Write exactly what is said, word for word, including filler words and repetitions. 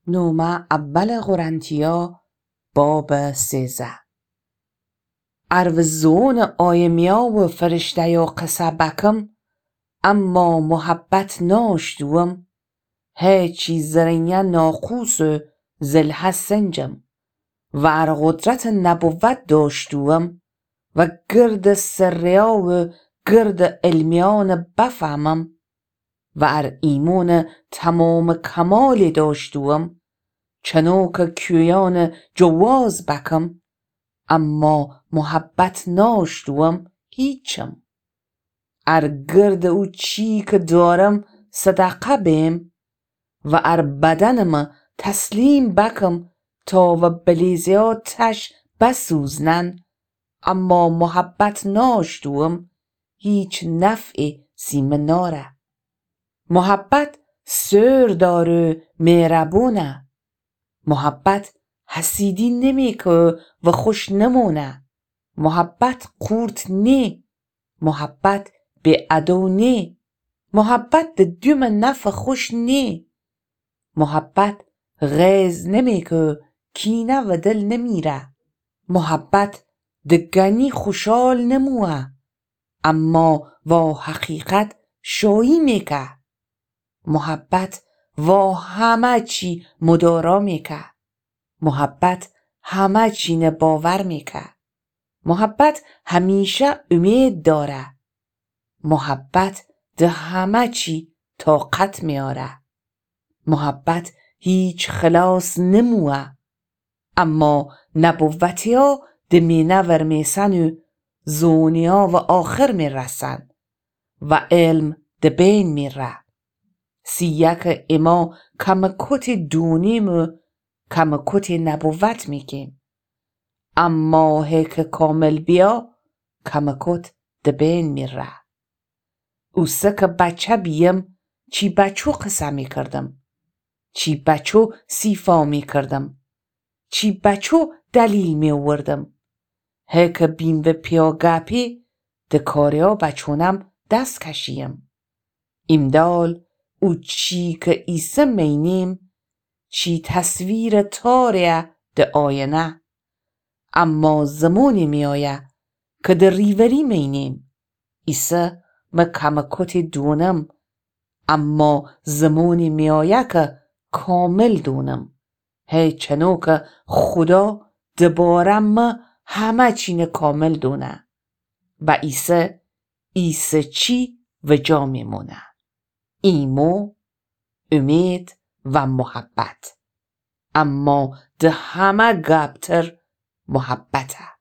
نومه اول قرنتیا، باب سیزده. ار و زونٚ آیمیا و فرشتهیا قصه بکم، اما محبت ناشتوم، هیچی زرنیه ناقوس و زلهه سنجم. و ار قدرتٚ نبوت داشتوم و گردٚ سرهیا و گردٚ علمیانه بفهمم، و ار ایمونٚ تمامٚ کمالی داشتوم، چنوکه کویانه جواز بکم، اما محبت ناشتوم، هیچم. ار گردٚ او چی که دارم صدقه بیم، و ار بدنمه تسلیم بکم تا و بلیزهیا تش بسوزنن، اما محبت ناشتوم، هیچ نفعی سیمه ناره. محبت صبر داره و مهربونه. محبت حسیدی نمیکه و خوش نمونه. محبت قورت نی. محبت بی‌ادو نی. محبت د دومٚ نفعٚ خوش نی. محبت غیظ نمیکه، کینه و دل نمیره. محبت د گنی خوشحال نموه، اما وا حقیقت شایی میکه. محبت وا همه چی مدارا میکه. محبت همه چینه باور میکه. محبت همیشه امید داره. محبت د همه چی طاقت میاره. محبت هیچ خلاص نموه. اما نبوتیا د مینه ورمیسن و زونیا و آخر میرسن و علم د بین میره. سیه که اما کمکوتی دونیم و کمکوتی نبوت میکیم. اما هی که کامل بیا، کمکوت د بین میره. اوسه که بچه بیم، چی بچو قصه میکردم، چی بچو سیفا میکردم، چی بچو دلیل می‌اوردم. هی که بیم و پیاگپی، د کاریا بچونم دس کشیم. ایمدال او چی که ایسه مینیم، چی تصویر تاریه د آینه. اما زمانی میایه که د ریوری مینیم. ایسه مه کمکوتی دونم، اما زمانی میایه که کامل دونم. هی چنو که خودا دباره مه همه چینه کامل دونه. و ایسه، ایسه چی و جا میمونه. ایمو، امید و محبت. اما د همه گبتر محبته.